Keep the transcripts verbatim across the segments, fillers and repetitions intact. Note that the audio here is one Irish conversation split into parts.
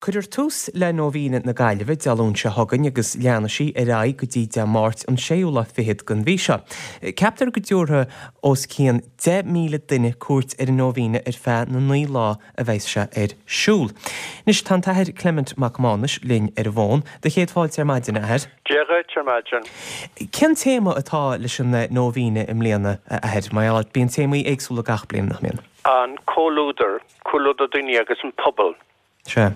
Cuirfear tús le Nóibhéine na Gaillimhe Dé Luain seo chugainn agus leanfaidh sí ar aghaidh go dtí Dé Máirt an séú lá fichead den mhí seo. Ceaptar go dtabharfaidh os cionn deich míle duine cuairt ar an Nóibhéine ar feadh na naoi lá a bheidh sé ar siúl. Anois tá an tAthair Clement Mac Mánais linn ar an bhfón. Do chéad fáilte ar maidin, a Athair. Dia dhuit ar maidin. Cén téama atá leis an Nóibhéine i mbliana, a Athair? Mar gheall, bíonn téamaí éagsúla gach bliain, nach mbíonn? An comhluadar, comhluadar daoine agus an pobal. Sea.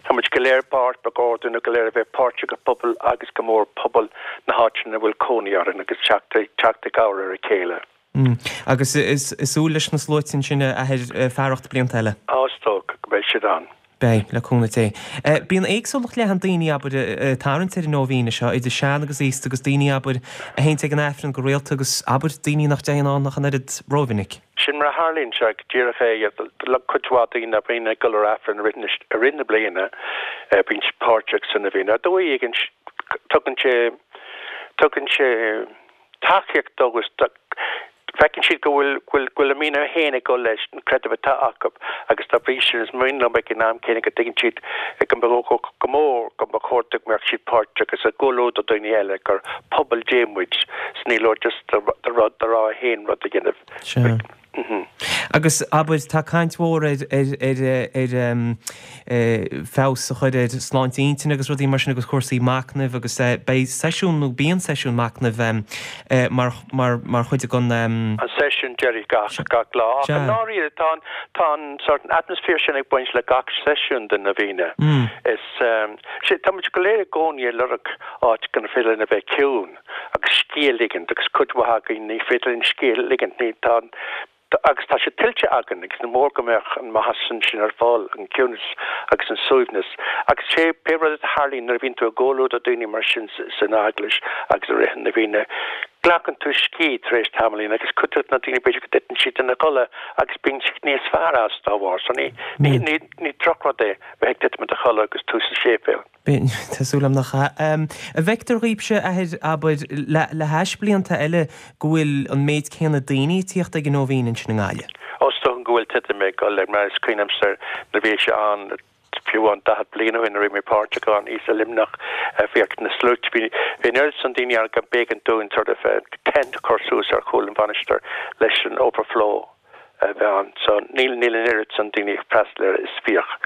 Tá muid go léir páirt, ba chóir dúinn go léir a bheith páirteach i bpobal agus go mór pobal na háite ina bhfuil cónaí orainn agus teacht i gcabhair ar a chéile. Agus is súil leis na sluaite ansin, a Athair, fearacht blianta eile? Á, is dócha go mbeidh siad ann. Beidh, le cúnamh Dé. Bíonn éagsúlacht leathan daoine, abair, ag tarraingt ar an Nóibhéine seo, idir sean agus aosta agus daoine, abair, a théanns ag an Aifreann go rialta agus, abair, daoine nach dtéann ann ach an oiread rómhinic. Sin mar a tharlaíonn sé, go díreach é. Cuid mhaith daoine a bhíonn ag dul ar Aifreann i rith na bliana, bíonn siad páirteach sa Nóibhéine. Ar dóigh éigin, tugann sé, tugann sé tacaíocht dóibh agus feiceann siad go bhfuil, go bhfuil, go bhfuil a mian féin ag dul leis an creideamh atá acu agus dá bhrí sin is mian leo ag an am céanna go dtuigeann siad go mba, go mór go mba chóir go mbeadh siad páirteach agus i gcomhluadar daoine eile gur pobal Dé muid 's ní leor just do rud, do rogha féin rud a dhéanamh. Sea. Agus, abair, tá caint mhór ar, ar, ar, ar feabhas a chur ar sláinte intinne agus rudaí mar sin agus cúrsaí machnaimh agus beidh seisiún nó bíonn seisiún machnaimh mar, mar, mar chuid den. An seisiún deiridh gach, gach lá. Ach i ndáiríre tá an, tá an sort atmosphere sin ag baint le gach seisiún den Nóibhéine. Is, sea, tá muid go léir i gcónaí ag lorg áit gur féidir linn a bheith ciúin. agus scíth a ligint agus cuid mhaith againn ní féidir linn scíth a ligint, ní, tá, agus tá sé tuillte againn agus ní mór go mbeadh an maitheas sin sin ar fáil, an ciúnas agus an suaimhneas. Agus sé pé rud a tharlaíonn nuair a bhíonn tú i gcomhluadar daoine mar sin san eaglais agus i rith na Nóibhéine, glacann tú scíth tar éis tamaillín agus cuid de na daoine b'fhéidir go dtiteann siad ina gcodladh agus bíonn siad níos fearr as dá bharr. So ní, ní, ní, ní drochrud é bheith ag titim i do chodladh agus tú sa séipéal. Tá súil agam nach ea. An bhfeictear dhaoibhse, a Athair, abair, le hais blianta eile go bhfuil an méid céanna daoine ag tíocht ag an Nóibhéin ansin i nGaillimh? Ó, is dócha go bhfuil titim ag dul air, mar is cuimhin liomsa nuair a bhí sé ann, fiú amháin daichead bliain ó shin nuair a bhí mé páirteach ann, i Luimneach, bhíodh na sluaite, bhí an oiread san daoine ann go mb'éigean dúinn sort of tent a chur suas ar chúl an mhainistir leis an overflow. a bheith ann. So níl níl an oiread san daoine ag freastal air is bhíodh.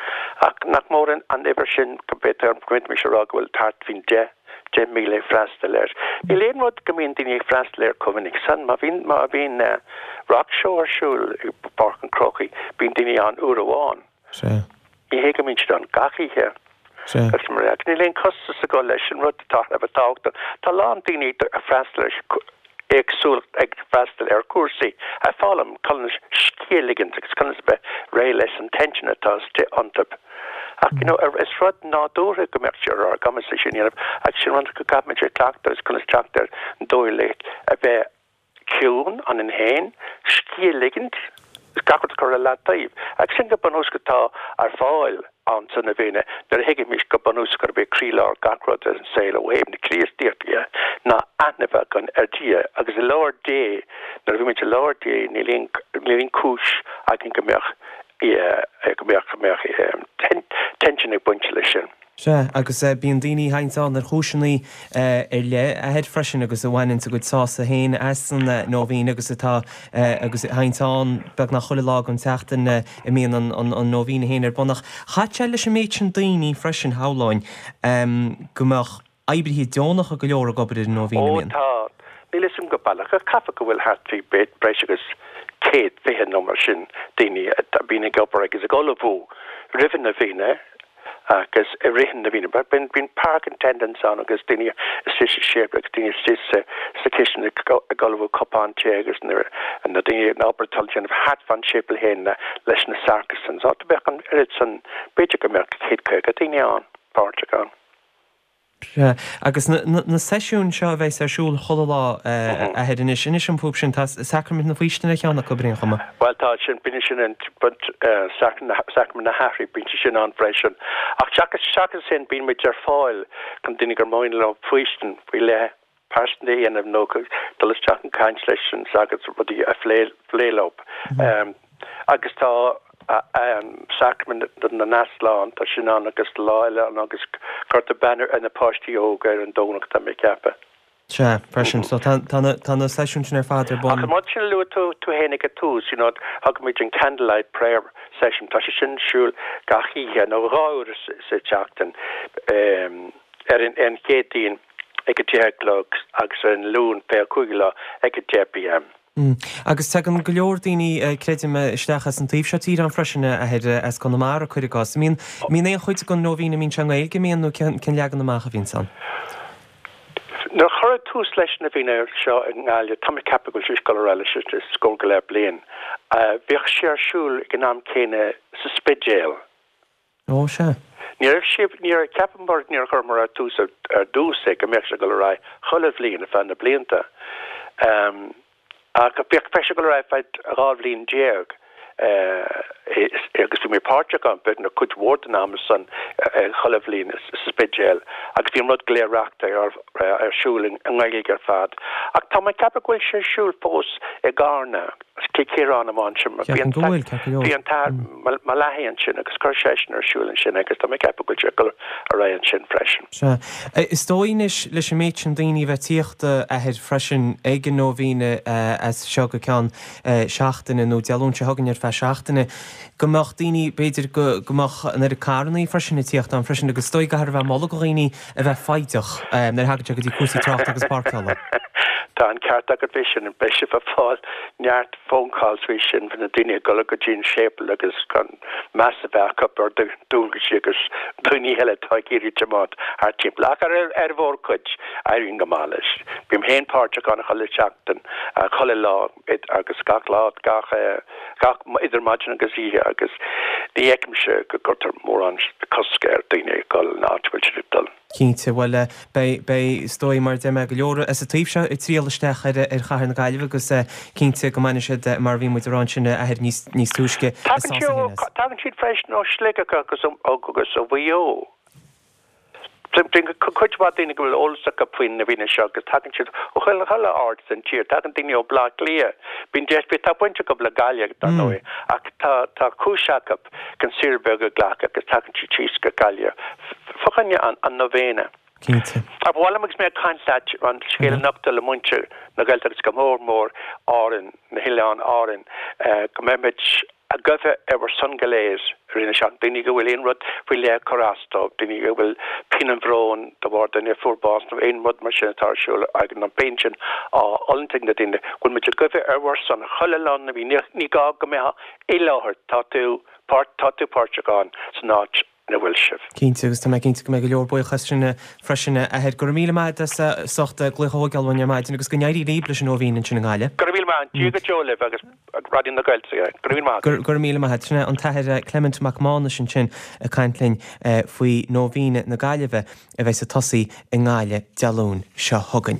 Ach nach mór an an uimhir sin go b'fhéidir go bhféadfaimis a rá go bhfuil thart faoin deich deich míle ag freastal air. Níl aon rud go mbíonn daoine ag freastal air chomh minic san. Má bhíonn má bhíonn Rock Show ar siúl i bPáirc an Chrócaigh bíonn daoine ann uair amháin. Sea. Ní hé go mbíonn siad ann gach oíche. Sea. Agus mar ea, níl aon chostas ag dul leis an rud atá thar a bheith tábhachtach. Tá a lán daoine ag freastal ar éagsúlacht ag freastal ar chúrsaí, ag foghlaim conas scíth a ligint agus conas a bheith réidh leis an tension atá istigh iontu. Ach you know, is rud nádúrtha go mbeadh sé ar ár gcumas é sin a dhéanamh agus sin rud go gcaithfimid a chleachtadh agus conas teacht ar an dóigh le a bheith ciúin ionainn féin, scíth a ligint, gach rud a chur ar leataobh. Agus sin go bunúsach atá ar fáil ann sa Nóibhéine nuair a thuigimid go bunúsach gurb é croílár gach rud ar an saol ó thaobh na Críostaíochta dhe ná aithne a bheith againn ar Dhia agus i láthair Dé nuair a bhímid i láthair Dé níl aon níl aon chúis againn go mbeadh go mbeadh go mbeadh tension ag baint leis sin. Sea, agus bíonn daoine a théanns ann ar chúiseanna ar leith, a Athair, freisin agus a bhaineanns a gcuid sásamh féin as an Nóibhéin agus atá, agus a théanns ann beagnach chuile lá den tseachtain a mbíonn an Nóibhéin féin ar bun. Ach chaithfeadh sé leis an méid sin daoine freisin, shamhlóinn, go mbeadh oibrithe deonacha go leor ag obair ar an Nóibhéin, Ó, an mbíonn? tá. Níl fhios agam go baileach, ach caithfidh go bhfuil thart faoi breis agus céad fiche nó mar sin daoine a bhíonn ag obair agus ag ullmhú roimh an Nóibhéine agus i rith na Nóibhéine. Bíonn park attendants ann agus daoine istigh sa séipéal agus daoine istigh sa sa chistin ag ag ullmhú cupán tae agus na na daoine an obair atá le déanamh thart fán séipéal féin leis na sacristans. Áit a bheadh an oiread san, b'fhéidir go mbeadh céad caoga daoine ann, páirteach ann. Sea, agus na seisiúin seo a bheas ar siúl chuile lá, a Athair, anois, inis dom fúthu sin, tá Sacraimint na Faoistine ar cheann acu, ar aon chuma. Bhuel, tá sin, bíonn sin an, Sacraimint na hAithrí, bíonn sé sin ann freisin. Ach seachas, seachas sin, bíonn muid ar fáil chun daoine gur mian leo faoistin faoi leith pearsanta a dhéanamh nó dul isteach ag caint leis an sagart rudaí a phlé, phlé leo. Agus tá. Sacraimint na nEaslán tá sin ann agus lá eile ann agus cuirtear beannú ar na páistí óga ar an Domhnach tá mé ag ceapadh. Sea, freisin. So tá tá na tá na seisiúin sin ar fad ar Ach bun. an rud sin a luaigh tú tú féin ag an tús, you know, thugaimid an candlelight prayer session, tá sé sin ar siúl gach oíche nó dhá uair sa tseachtain ar an an Chéadaoin ag a deich a chlog agus ar an Luan fiche a cúig lá ag a deich pm. Mm. Agus tagann go leor daoine creidim isteach as an taobh seo tíre ann freisin a Athair as Conamara cuir i gcás. Mbíonn mbíonn aon chuid den nóibhéin a mbíonn sé i nGaeilge mbíonn nó cén leagan amach a bhíonn ann. Nuair a cuireadh tús leis na nóibhéin seo i nGaillimh, tá mé ag ceapadh go bhfuil sé ag dul ar aghaidh leis scór go leith bliain. Bhíodh sé ar siúl ag an am céanna sa Spidéal. Ó sea. Ní raibh sé ní raibh ceapaim mar níor chuireamar ar tús ar dtús é go mbeadh sé ag dul ar aghaidh chuile bhliain ar feadh na blianta. Um, ach bhíodh sé ag dul ar aghaidh feadh dhá bhliain déag. agus bhí mé páirteach ann na cuid mhór den am san chuile bhliain sa Spidéal agus bhí an rud go léir reachtáilte ar ar siúl i nGaeilge ar fad. Ach tá mé ag ceapadh go bhfuil sé ar siúl fós i gCarna Cill Chiaráin amháin sin bhí an t-athair Malachi ansin agus chuir seisean ar siúl ansin agus tá mé ag ceapadh go bhfuil sé ag dul ar aghaidh ansin freisin. Sea. Is dóigh anois leis an méid sin daoine a bheith ag tíocht a Athair freisin ag an nóibhéin as seo go ceann seachtaine nó Dé Luain seo chugainn ar feadh seachtaine, go mbeadh daoine, b'fhéidir go go mbeadh an oiread carrannaí freisin ag tíocht ann freisin agus is dóigh go gcaithfear a bheith ag moladh do dhaoine a bheith foighdeach nuair a thagann sé go dtí cúrsaí tráchta agus páirceála. Tá an ceart agat faoi sin, beidh sibh ag fáil neart phone calls faoi sin faoi na daoine ag dul go dtí an séipéal agus gan meas a bheith acu ar dualgaisí agus daoine eile atá ag iarraidh tiomáint thart timpeall. Ach ar ar mhórchuid éiríonn go maith leis. Bím féin páirteach ann chuile sheachtain, chuile lá agus gach lá gach gach idir maidin agus oíche agus ní fheicimse go gcuirtear mórán cosc ar daoine ag dul an áit a bhfuil siad ag dul. Cinnte, bhuel beidh, beidh, is dóigh mar a deir mé go leor as an taobh seo ag triall isteach ar ar chathair na Gaillimhe agus cinnte go mbainfidh siad mar a bhí muid ag rá ansin a Athair níos níos túisce a Tagann siad tagann siad freisin ó Shligeach agus agus ó Mhaigh Eo. Cuid mhaith daoine go bhfuil eolas acu faoin nóibhéin seo agus tagann siad ó chuile chuile áit san tír, tagann daoine ó Bhleá Cliath, bíonn deis tá baint acu le Gaillimh dar ndóigh ach tá tá cúis acu chun saoire bheag a ghlacadh agus tagann siad síos go Gaillimh fá choinne an an nóibhéine. Cinnte. Ach ba mhaith liom agus mé ag caint leat an scéal a nochtadh le muintir na Gaeltachta agus go mór mór Árainn, na hoileáin Árainn, go mbeimid ag guí ar bhur son go léir i rith na seachtaine, daoine go bhfuil aon rud faoi leith ag cur as dóibh, daoine go bhfuil pian an bhróin de bharr duine a fuair bás nó aon rud mar sin atá ar siúl ag an bpian sin á fhulaingt ag na daoine, go bhfuil muid ag guí ar bhur son chuile lá na mí. Ní gá go mbeifeá i láthair, tá tú páirt, tá tú páirteach ann san áit ina bhfuil sibh. Cinnte, agus tá mé cinnte go mbeidh go leor buíoch as sin freisin, a Athair. Go raibh míle maith agat as ucht glaoch a thógáil uainn ar maidin agus go n-éirí libh leis an nóibhéin ansin i nGaillimh. Go raibh míle maith, Dia go deo libh agus Raidió na Gaeltachta. Go raibh míle maith agat. Go raibh míle maith agat. Sin é an tAthair Clement Mac Mánais ansin ag caint linn faoi nóibhéin na Gaillimhe a bheas ag tosaí i nGaillimh Dé Luain seo chugainn.